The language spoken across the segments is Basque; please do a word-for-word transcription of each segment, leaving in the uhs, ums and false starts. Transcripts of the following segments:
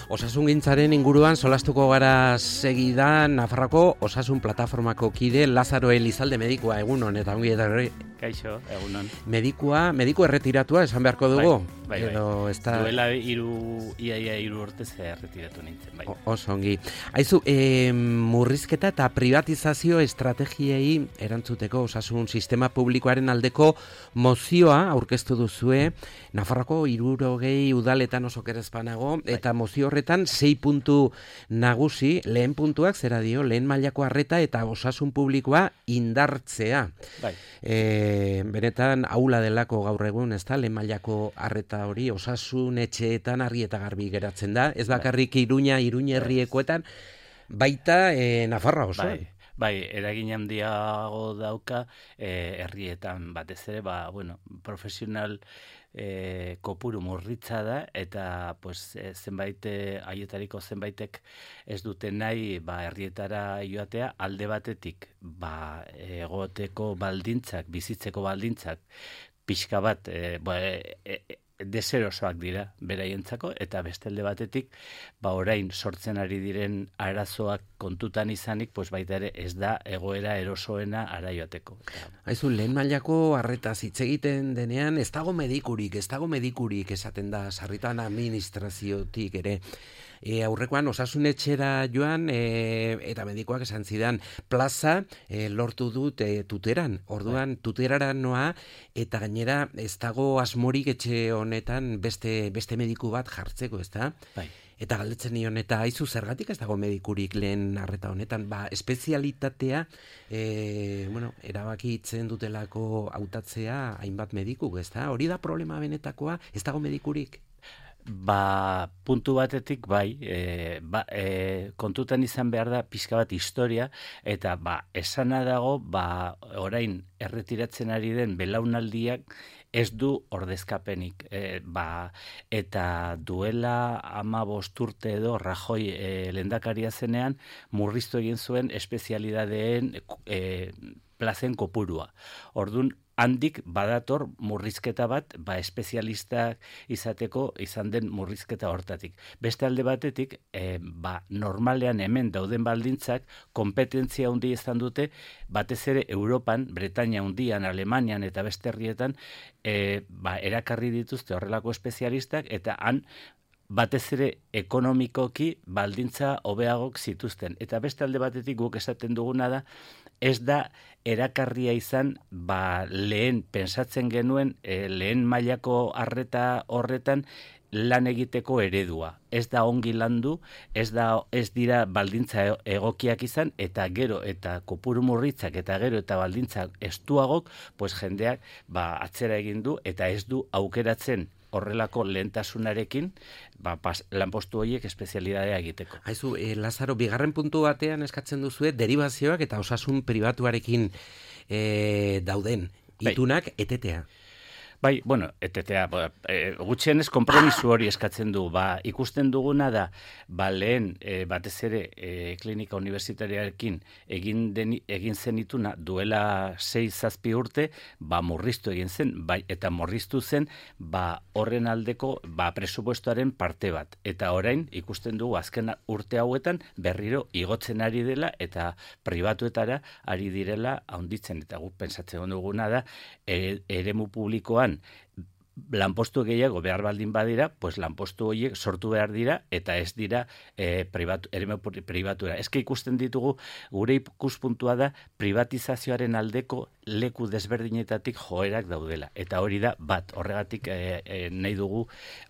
Osasungintzaren inguruan solastuko gara segidan Nafarroako Osasun Plataformako kide Lazaro Elizalde medikua, egunon eta ongi etorri. Kaixo, egunon. Medikua, mediku erretiratua esan beharko dugu. Bai, bai, edo bai. Esta... Duela iru, ia, ia iru urtez erretiratu nintzen, bai. Oso ongi. Aizu, e, murrizketa eta privatizazio estrategiei erantzuteko osasun sistema publikoaren aldeko mozioa aurkeztu duzue Nafarroako hirurogei udaletan oso kerezpanago, bai. Eta mozio horretan sei puntu nagusi, lehen puntuak zera dio, lehen mailako arreta eta osasun publikoa indartzea. Bai. E, benetan aula delako gaur egun, ez da, lehen mailako arreta hori osasun etxeetan argi eta garbi geratzen da, ez bakarrik Iruña, Iruña herriekoetan, baita e, Nafarroa oso. Bai. Bai, eragin handiago dauka eh, herrietan batez ere, ba, bueno, profesional eh, kopuru murritza da eta pues, eh, zenbait haietariko zenbaitek ez dute nahi ba, herrietara joatea alde batetik ba, egoteko baldintzak, bizitzeko baldintzak pixka bat eh, ba, eh, eh, deserosoak dira beraientzako eta bestalde batetik ba orain sortzen ari diren arazoak kontutan izanik pues baita ere ez da egoera erosoena ara joateko. Aizu, lehen mailako arretaz hitz egiten denean ez dago medikurik, ez dago medikurik esaten da sarritan administraziotik ere. E, aurrekoan osasunetxera joan e, eta medikoak esan zidan plaza e, lortu dut e, tuteran, orduan tuterara noa eta gainera ez dago asmorik etxe honetan beste, beste mediku bat jartzeko, ez da? Bai. Eta galdetzen nion, eta aizu zergatik ez dago medikurik lehen arreta honetan, ba, espezialitatea, e, bueno, erabakitzen dutelako hautatzea hainbat mediku, ez da? Hori da problema benetakoa, ez dago medikurik? Ba, puntu batetik bai, e, ba, e, kontutan izan behar da pixka bat historia, eta ba, esana dago, ba, orain erretiratzen ari den belaunaldiak ez du ordezkapenik. E, ba, eta duela ama bosturte edo Rajoy e, lehendakaria zenean, murriztu egin zuen espezialidadeen e, plazen kopurua. Ordun handik badator murrizketa bat, ba espezialistak izateko izan den murrizketa hortatik. Beste alde batetik, e, ba normalean hemen dauden baldintzak kompetentzia handi izan dute, batez ere Europan, Bretainia handian, Alemanian eta beste herrietan, e, ba erakarri dituzte horrelako espezialistak eta han batez ere ekonomikoki baldintza hobeagok zituzten. Eta beste alde batetik guk esaten duguna da, ez da erakarria izan ba, lehen pensatzen genuen e, lehen mailako arreta horretan lan egiteko eredua. Ez da ongi landu, ez da ez dira baldintza egokiak izan eta gero eta kopuru murritzak eta gero eta baldintza estuagok, pues jendeak ba, atzera egin du eta ez du aukeratzen horrelako lehentasunarekin ba, pas, lanpostu horiek espezialidadea egiteko. Haizu, e, Lazaro, bigarren puntu batean eskatzen duzue derivazioak eta osasun pribatuarekin e, dauden itunak etetea. Bai, bueno, etetea, e, gutxienez konpromisu hori eskatzen du. Ba, ikusten duguna da, ba, lehen e, batez ere e, klinika universitariarekin egin, den, egin zen ituna duela sei zazpi urte, ba, murriztu egin zen, bai, eta murriztu zen, ba, horren aldeko ba, presupuestoaren parte bat. Eta orain ikusten dugu azken urte hauetan berriro igotzen ari dela eta pribatuetara ari direla handitzen. Eta guk pentsatzen duguna da, e, eremu publikoan lanpostu gehiago behar baldin badira, pues lanpostu horiek sortu behar dira eta ez dira e, pribatu, eremu pribatura. Eske ikusten ditugu gure ikuspuntua da privatizazioaren aldeko leku desberdinetatik joerak daudela. Eta hori da bat, horregatik e, e, nahi dugu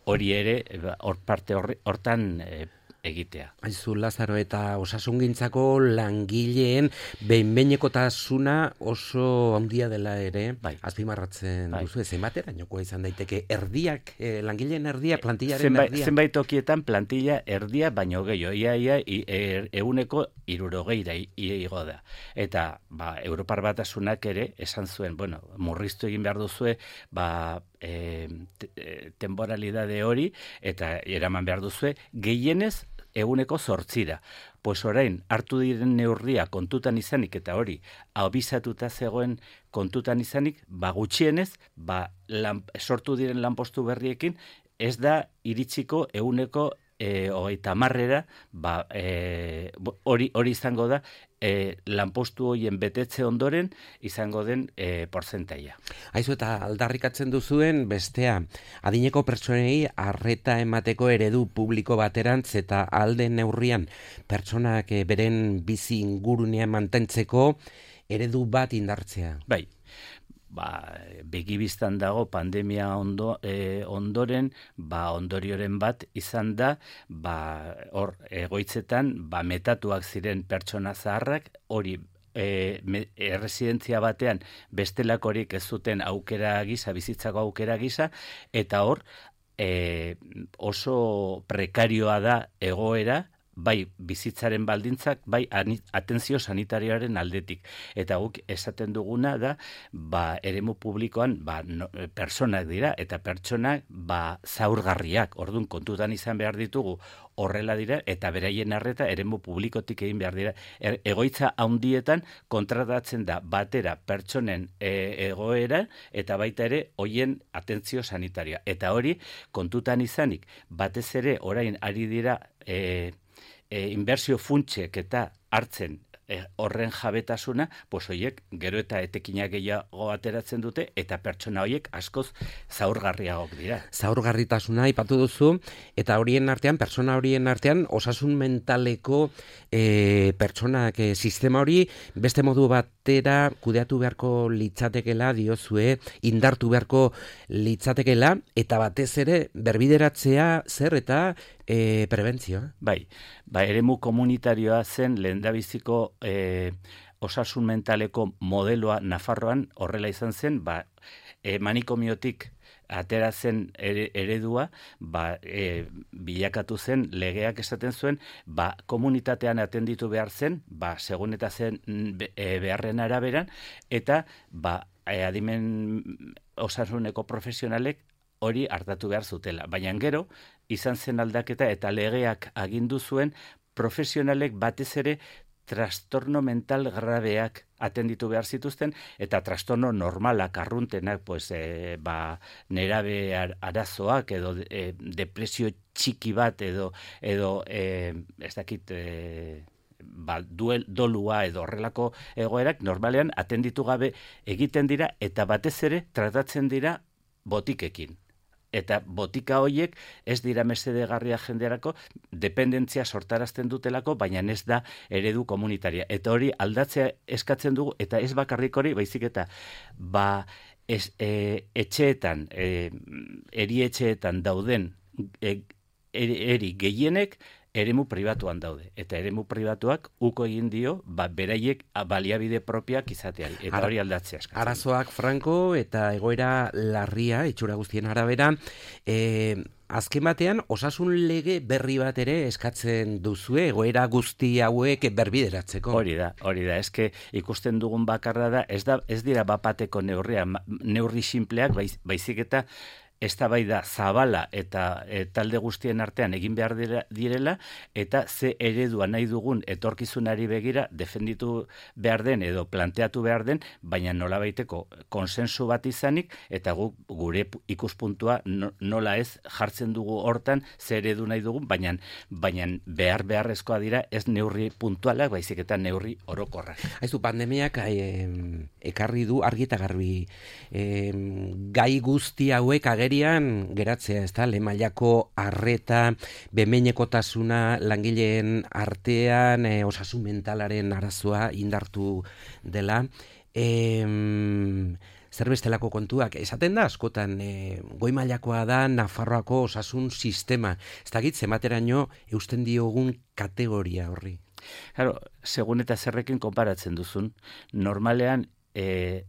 hori ere hor parte hortan e, egitea. Aizu, Lazaro, eta osasungintzako langileen behin-behinekotasuna oso handia dela ere, bai. Azpimarratzen bai. Duzu, zenbaterainokoa izan daiteke erdiak, eh, langileen erdia, plantillaren zenbait, erdia? Zenbait tokietan plantilla erdia baino gehiago, ia, ia, ia euneko hirurogeira igo da. Eta, ba, Europar Batasunak ere esan zuen, bueno, murriztu egin behar duzue, ba, e, te, temporalidade hori, eta eraman behar duzue, gehienez eguneko zortzira. Pues orain, hartu diren neurria kontutan izanik, eta hori, abisatuta zegoen kontutan izanik, ba gutxienez, ba lan, sortu diren lanpostu berriekin, ez da iritsiko eguneko e, hogeita hamarrera, ba, e, hori, hori izango da, e, lanpostu horien betetze ondoren izango den e, porzentaia. Aizu, eta aldarrikatzen duzuen bestea, adineko pertsonei arreta emateko eredu publiko baterantz eta alden neurrian pertsonak beren bizi ingurunean mantentzeko eredu bat indartzea. Bai. Ba, begibistan dago pandemia ondo, e, ondoren, ba, ondorioren bat izan da, ba, hor egoitzetan, ba, metatuak ziren pertsona zaharrak, hori e, erresidentzia batean bestelakorik ez zuten aukera gisa, bizitzako aukera gisa, eta hor e, oso prekarioa da egoera, bai bizitzaren baldintzak, bai atentzio sanitarioaren aldetik. Eta guk esaten duguna da, ba, eremu publikoan ba, no, personak dira, eta pertsonak ba, zaurgarriak, orduan kontutan izan behar ditugu, horrela dira, eta beraien arreta eremu publikotik egin behar dira. Er, egoitza handietan kontratatzen da batera pertsonen e, egoera, eta baita ere hoien atentzio sanitarioa. Eta hori kontutan izanik, batez ere orain ari dira e, E, inbertsio funtsek eta hartzen e, horren jabetasuna, pues hoiek gero eta etekinak gehiago ateratzen dute eta pertsona hoiek askoz zaurgarriagok dira. Zaurgarritasuna aipatu duzu, eta horien artean, pertsona horien artean, osasun mentaleko e, pertsonak e, sistema hori beste modu batera kudeatu beharko litzatekela diozue, indartu beharko litzatekela, eta batez ere berbideratzea zer eta E, prebentzio. Bai, ba, eremu komunitarioa zen lehendabiziko e, osasun mentaleko modeloa Nafarroan horrela izan zen, ba, e, manikomiotik atera zen ere, eredua, ba, e, bilakatu zen legeak esaten zuen, ba, komunitatean atenditu behar zen, ba, segun eta zen e, beharren araberan, eta ba, e, adimen osasuneko profesionalek hori hartatu behar zutela. Baina gero, izan zen aldaketa eta legeak agindu zuen profesionalek batez ere trastorno mental grabeak atenditu behar zituzten, eta trastorno normalak, arruntenak, pues, e, ba, nerabe arazoak, edo e, depresio txiki bat, edo, edo e, ez dakit... E, ba, duel, dolua edo horrelako egoerak normalean atenditu gabe egiten dira, eta batez ere tratatzen dira botikekin. Eta botika horiek ez dira mesedegarria jenderako, dependentzia sortarazten dutelako, baina ez da eredu komunitaria. Eta hori aldatzea eskatzen dugu, eta ez bakarrik hori, baizik eta ba, ez, e, etxeetan, e, erietxeetan dauden e, eri, eri gehienek, eremu pribatuan daude. Eta eremu pribatuak uko egin dio, ba, beraiek baliabide propiak izateari. Eta hori aldatzea eskatzen. Arazoak franko eta egoera larria, itxura guztien arabera, e, azken batean, osasun lege berri bat ere eskatzen duzue, egoera guzti hauek berbideratzeko. Hori da, hori da. Eske ikusten dugun bakarra da, ez, da, ez dira bapateko neurria, neurri simpleak, baiz, baizik eta eztabaida zabala eta e, talde guztien artean egin behar direla, eta ze eredua nahi dugun etorkizunari begira defenditu behar den edo planteatu behar den, baina nola baiteko konsensu bat izanik, eta guk gure ikuspuntua nola ez jartzen dugu hortan ze eredu nahi dugun, baina, baina behar beharrezkoa dira ez neurri puntualak, baizik eta neurri orokorrak. Aizu, pandemiak eh, ekarri du argi eta garbi eh, gai guzti hauek agerian geratzea, ez da, lehen mailako arreta, behin-behinekotasuna langileen artean, e, osasun mentalaren arazoa indartu dela. E, zer bestelako kontuak, esaten da askotan, e, goi mailakoa da Nafarroako osasun sistema. Ez dakit, zemateraino eusten diogun kategoria horri. Claro, segun eta zerrekin konparatzen duzun, normalean, e,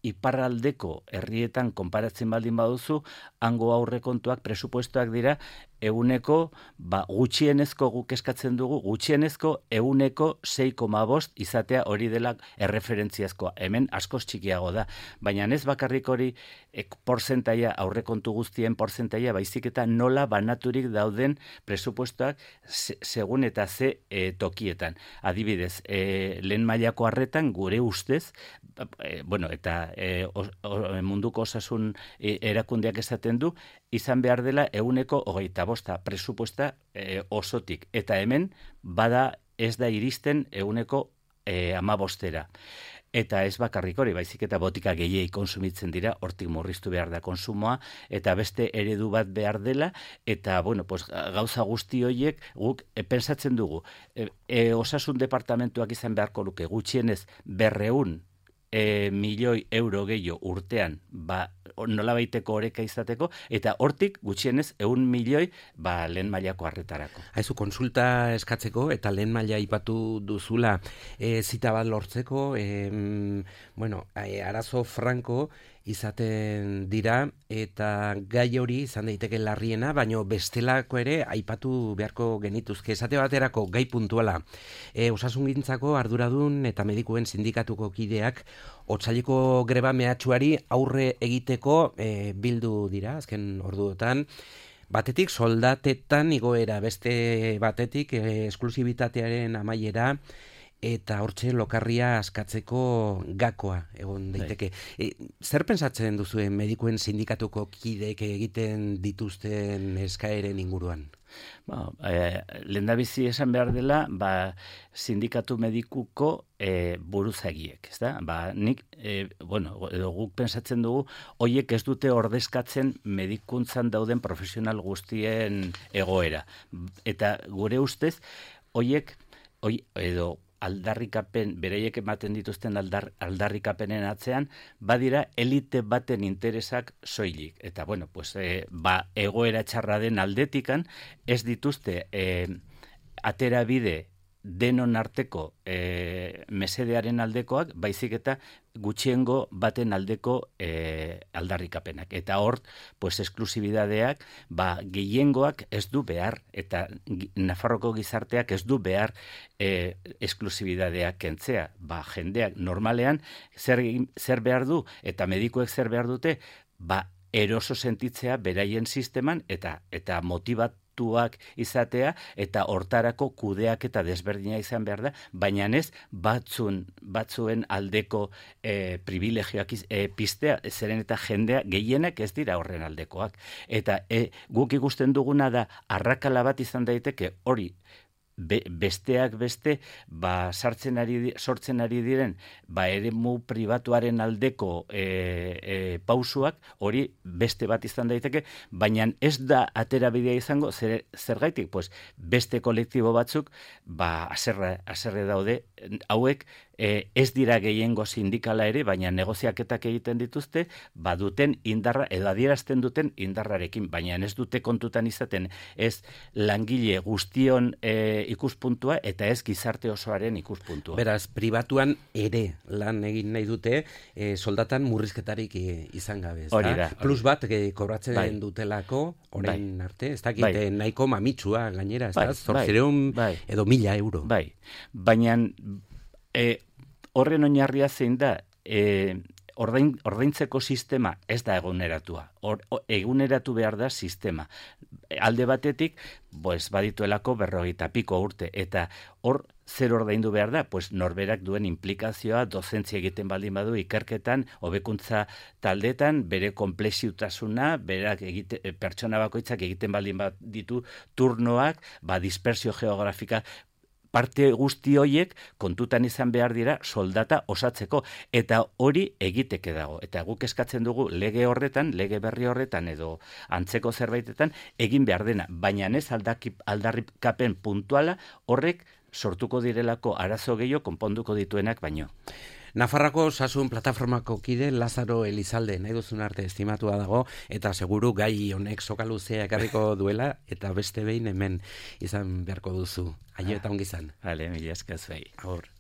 iparraldeko herrietan konparatzen baldin baduzu, hango aurrekontuak presupuestoak dira eguneko, ba, gutxienezko guk eskatzen dugu, gutxienezko eguneko sei koma bost izatea hori dela erreferentziazkoa. Hemen askoz txikiago da, baina ez bakarrik hori ek, porzentaia, aurrekontu guztien porzentaia, baizik eta nola banaturik dauden presupuestoak se, segun eta ze e, tokietan. Adibidez, e, lehen mailako arretan gure ustez, e, bueno, eta e, o, o, munduko osasun e, erakundeak esaten du, izan behar dela euneko hogeita bosta presupuesta e, osotik. Eta hemen, bada ez da iristen euneko e, amabostera. Eta ez bakarrik hori, baizik eta botika gehiei konsumitzen dira, hortik murriztu behar da konsumoa, eta beste eredu bat behar dela, eta, bueno, pues, gauza guzti horiek guk e, pensatzen dugu. E, e, osasun departamentuak izan beharko luke gutxienez berreun e, milioi euro gehiago urtean, ba, nola baiteko oreka izateko, eta hortik gutxienez eun milioi ba, lehen mailako arretarako. Haizu, konsulta eskatzeko, eta lehen maila ipatu duzula e, zita bat lortzeko, e, bueno, e, arazo franko izaten dira, eta gai hori izan daiteke larriena, baino bestelako ere aipatu beharko genituzke. Esate baterako gai puntuala. E, osasungintzako arduradun eta medikuen sindikatuko kideak otsaileko greba mehatxuari aurre egiteko e, bildu dira, azken orduotan. Batetik soldatetan igoera, beste batetik e, esklusibitatearen amaiera, eta hortxe lokarria askatzeko gakoa egon daiteke. E, zer pentsatzen duzu medikuen sindikatuko kideek egiten dituzten eskaeren inguruan? Ba, e, lehendabizi esan behar dela, ba, sindikatu medikuko e, buruzagiek, ez da? Ba, nik, e, bueno, edo guk pensatzen dugu, hoiek ez dute ordezkatzen medikuntzan dauden profesional guztien egoera. Eta gure ustez, hoiek, hoi, edo aldarrikapen, bereiek ematen dituzten aldar, aldarrikapenen atzean, badira elite baten interesak soilik. Eta, bueno, pues, e, ba, egoera txarra den aldetikan, ez dituzte e, atera bide denon arteko e, mesedearen aldekoak, baizik eta gutxiengo baten aldeko e, aldarrikapenak. Eta hor, pues, esklusibidadeak, ba, gehiengoak ez du behar, eta Nafarroko gizarteak ez du behar e, esklusibidadeak kentzea. Ba, jendeak normalean zer, zer behar du, eta medikuek zer behar dute, ba, eroso sentitzea beraien sisteman, eta, eta motibat izatea, eta hortarako kudeak eta desberdina izan behar da, baina ez batzun, batzuen aldeko e, privilegioak e, pistea, zeren eta jendea gehienak ez dira horren aldekoak. Eta e, guk ikusten duguna da, arrakala bat izan daiteke hori, Be, besteak beste, ba, sartzen ari, sortzen ari diren, ba, eremu pribatuaren aldeko e, e, pausuak, hori beste bat izan daiteke, baina ez da aterabidea izango, zer, zergaitik, pues, beste kolektibo batzuk, ba, aserre, aserre daude, hauek, E, ez dira gehiengo sindikala ere, baina negoziaketak egiten dituzte, baduten indarra, edo adierazten duten indarrarekin, baina ez dute kontutan izaten, ez langile guztion e, ikuspuntua, eta ez gizarte osoaren ikuspuntua. Beraz, pribatuan ere lan egin nahi dute, e, soldatan murrizketarik e, izan gabe. Hori da. Plus bat e, kobratzen bai. dutelako, orain bai. arte, ez dakit bai. nahiko mamitsua gainera, ez bai. da, zortzireun bai. edo mila euro. Bai, baina e, horren oinarria zein da, e, ordain, ordaintzeko sistema ez da eguneratua. Or, eguneratu behar da sistema. Alde batetik, pues, badituelako berrogeita piko urte, eta hor zer ordaindu behar da? Pues, norberak duen implikazioa, dozentzia egiten baldin badu, ikerketan, hobekuntza taldetan, bere komplexiutasuna, berak egite, pertsona bakoitzak egiten baldin bat ditu turnoak, ba, dispersio geografika, parte guzti horiek kontutan izan behar dira soldata osatzeko, eta hori egiteke dago. Eta guk eskatzen dugu lege horretan, lege berri horretan edo antzeko zerbaitetan egin behar dena, baina ez aldarrikapen puntuala horrek sortuko direlako arazo gehiago konponduko dituenak baino. Nafarrako Osasun Plataformako kide Lazaro Elizalde, nahi duzun arte estimatua dago, eta seguru gai honek sokaluzea ekarriko duela, eta beste behin hemen izan beharko duzu. Aio eta ongi izan. Vale, mila esker zuei. Agur.